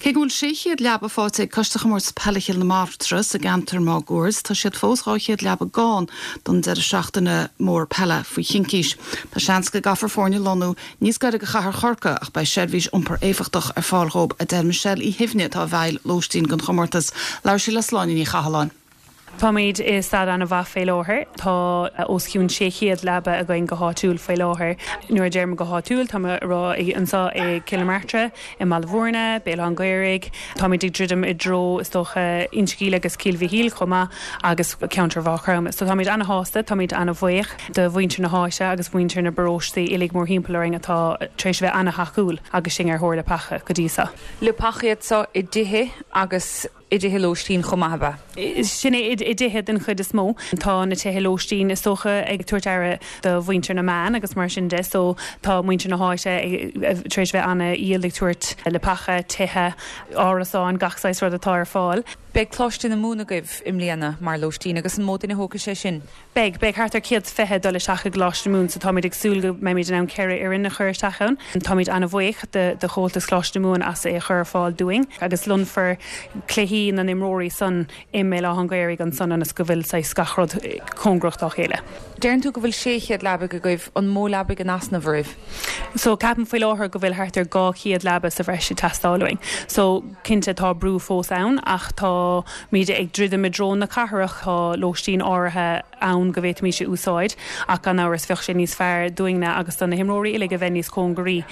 Cé go bhfuil 600 leaba faighte ag Coiste Chomórtas Peile Chill na Martra sa gceantar máguaird, tá siad fós 200 leaba gann don deireadh seachtaine mór peile faoi chincís. Tá seans go gcaithfear foirne a lonnú níos gaire go chathair Chorcaí ach beidh seirbhís iompair éifeachtach ar fáil dhóibh, a deir Michelle Uí Shuibhne atá i bhfeighil lóistín don chomórtas. Labhair sí le Sláine Ní Chathalláin. Táimid i staid an-mhaith fé láthair. Tá os cionn 600 leaba againn go háitiúil faoi láthair. Nuair a deirim go háitiúil, tá mé ag rá anseo i gCill na Martra, i mBaile Bhúirne, Béal Átha an Ghaorthaidh. Táimid ag druidim i dtreo, is dócha, Inse Gall agus Cill Mhichíl chomh maith agus ceantar Mhaigh Chromtha. So táimid an-shásta, táimid an-bhuíoch de mhuintir na háite agus mhuintir na bparóistí uilig mórthimpeall orainn atá tar éis a bheith an-thacúil agus sinn ar thóir leapacha go dtí seo. Leapacha iad seo i dtithe agus i dtithe lóistín chomh maith, ab ea? Sin é, i dtithe den chuid is mó. Tá na tithe lóistín, is dócha, ag tabhairt aire do mhuintir na mban agus mar sin de so tá muintir na háite tar éis bheith an-fhial ag tabhairt leapacha, tithe, árasáin, gach saghas rud atá ar fáil. Beidh Coláiste na Mumhan agaibh i mbliana mar lóistín agus an mó duine a thógfaidh sé sin? Beidh. Beidh thart ar 120 ag dul isteach i gColáiste na Mumhan so táimid ag súil go mbeimid in ann 4 fhoireann a chur isteach ann. Táimid an-bhuíoch de Chomhaltas Choláiste na Mumhan as é a chur ar fáil dúinn agus lonnfar cluichí na n-imreoirí san i mBéal Átha an Ghaorthaidh ansan ionas go bhfuil saghas gach rud cóngarach dá chéile. Deireann tú go bhfuil 600 leabaidh agaibh, an mó leabaidh in easnamh oraibh? So ceapaim faoi láthair go bhfuil thart ar 200 leaba sa bhreis ag teastáil uainn. So cinnte tá brú fós ann ach tá muid ag druidim i dtreo na cathrach, tá lóistín áirithe ann go bhféadfaimis a úsáid ach gan amhras bheadh sé níos fearr dúinne agus do na himreoirí uilig a bheith níos cóngaraí.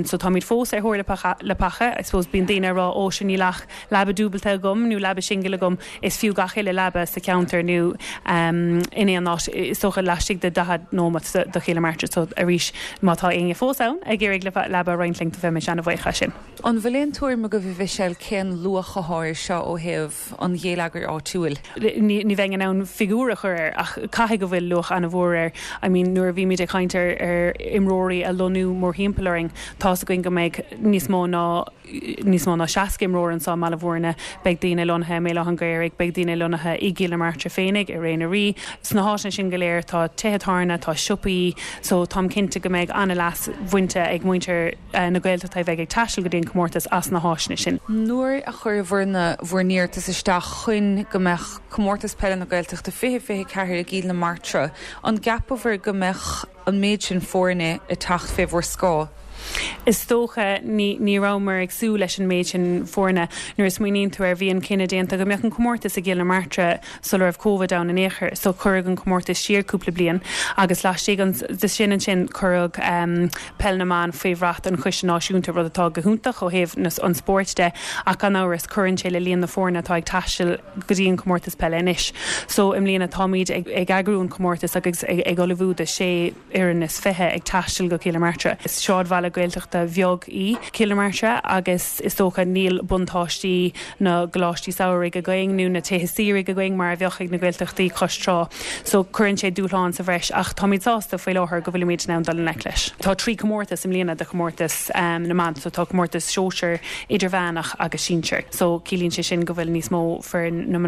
So táimid fós ar thóir leapacha. I suppose bíonn daoine ag rá ó sure níl ach leaba dúbailte agam nó leaba singil agam, is fiú gach uile leaba sa cheantar nó in aon áit is dócha laistigh de 40 nóimeat de Chill na Martra. So arís má tá éinne fós ann ag iarraidh leaba a roinnt linn bheimis ana-bhuíoch as sin. An bhfuil aon tuairim agaibh, a Mhichelle, cén luach athá air seo ó thaobh an ghéilleagair áitiúil? Ní bheinn in ann figiúr a chur air ach caithfidh go bhfuil luach an-mhór air. I mean nuair a bhímid ag caint ar ar imreoirí a lonnú mórthimpeall orainn, tá's againn go mbeidh níos mó ná níos mó ná 60 imreoir anseo i mBaile Bhúirne, beidh daoine lonnaithe i mBéal Átha an Ghaorthaidh, beidh daoine lonnaithe i gCill na Martra féinig, i Ré na Rí. Sna háiteanna sin go léir tá tithe tábhairne, tá siopaí, so táim cinnte go mbeidh an-leas bhainte ag muintir na Gaeltachta a bheidh ag taisteal go dtí an comórtas as na háiseanna sin. Nuair a chuireabhair na bhur n-iarratas isteach chun go mbeadh Comórtas Peile na Gaeltachta 2024 i gCill na Martra, an gceapabhair go mbeadh an méid sin foirne ag teacht fé bhur scáth? Is dócha, ní ní rabhamar ag súil leis an méid sin foirne. Nuair a smaoiníonn tú air, bhí an cinneadh déanta go mbeadh an comórtas i gCill na Martra sula raibh Covid ann in aon chor, so cuireadh an comórtas siar cúpla bliain agus laistigh de sin ansin cuireadh Peil na mBan faoi bhrat an Choiste Náisiúnta, rud atá go hiontach ó thaobh an spóirt de ach gan amhras cuireann sé le líon na foirne atá ag taisteal go dtí an comórtas peile anois. So i mbliana táimid ag eagrú an comórtas agus ag ullmhú do sé fhoireann is 20 ag taisteal go Cill na Martra. Is sráidbhaile Gaeltachta bheag í Cill na Martra agus is dócha níl buntáistí na gcoláistí samhraidh againn nó na tithe saoire againn mar a bheadh ag na Gaeltachtaí cois trá. So cuireann sé dúshlán sa bhreis ach táimid sásta faoi láthair go bhfuilimid in ann dul i ngleic leis. Tá 3 comórtas i mbliana de chomórtas na mban so tá comórtas sóisear, idirmheánach agus sinsir. So ciallaíonn sé sin go bhfuil níos mó foireann na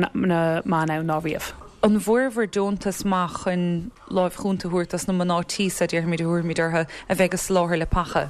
mban ann ná riamh. An bhfuaireabhair deontas maith chun láimh chúnta a thabhairt dos na mná tí so, déarfaimid, a thabharfaimid orthu, a bheidh ag soláthar leapacha?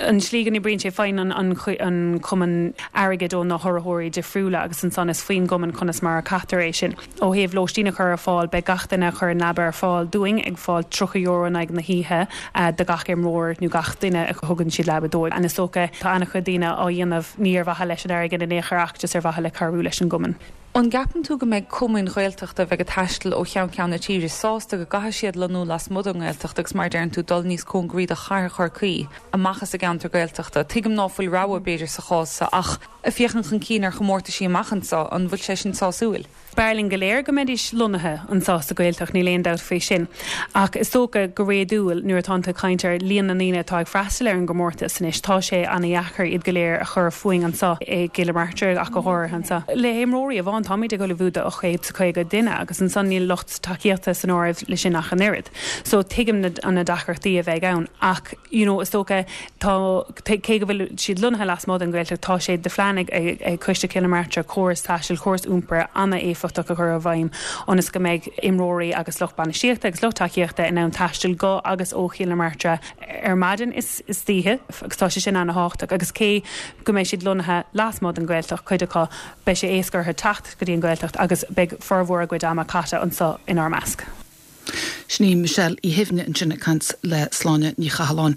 An tslí go n-oibríonn sé, faigheann an cumann airgead ó na hurraitheoirí difriúla agus ansan is faoin gcumann conas mar a caitear é sin. Ó thaobh lóistín a chur ar fáil, beidh gach duine a chuireann leaba ar fáil dúinn ag fáil €30 in aghaidh na hoíche do gach imreoir nó gach duine a thugann siad leaba dóibh. And is dócha, tá an-chuid daoine á dhéanamh ní ar mhaithe leis an airgead in aon chor ach just ar mhaithe le cabhrú leis an gcumann. An gceapann tú go mbeidh cumainn Ghaeltachta a bheidh ag taisteal ó cheann ceann na tíre sásta go gcaithfidh siad lonnú lasmuigh den nGaeltacht agus, mar a deireann tú, dul níos cóngaraí do chathair Chorcaí amach as an gceantar Gaeltachta? Tuigim ná fuil rogha, b'fhéidir, sa chás so ach ag féachaint chun cinn ar chomórtaisí amach anso, an bhfuil sé sin sásúil? B'fhearr linn go léir go mbeidís lonnaithe anso sa Ghaeltacht, níl aon dabht faoi sin. Ach is dócha, go réadúil, nuair atánn tú ag caint ar líon na ndaoine atá ag freastal ar an gcomórtas anois, tá sé ana-dheacair iad go léir a chur fúinn anso i gCill na Martra ach go háirithe anso. Le himreoirí amháin. amháin, táimid ag ullmhú do 850 duine agus ansan níl lucht tacaíochta san áireamh le sin ach an oiread. So tuigim na na deacrachtaí a bheidh ann ach you know is dócha tá cé go bhfuil siad lonnaithe lasmuigh den Ghaeltacht tá sé de phlean ag ag Coiste Chill na Martra córas taistil, córas iompair an-éifeachtach a chur i bhfeidhm ionas go mbeidh imreoirí agus lucht bainistíochta agus lucht tacaíochta in ann taisteal go agus ó Chill na Martra ar maidin is istoíche agus tá sé sin ana-thábhachtach agus cé go mbeidh siad lonnaithe lasmuigh den Ghaeltacht, cuid acu, beidh sé éasca orthu teacht go dtí an Ghaeltacht agus beidh formhór a gcuid ama caite anseo inár measc. Sin í Michelle Uí Shuibhne ansin ag caint le Sláine Ní Chathalláin.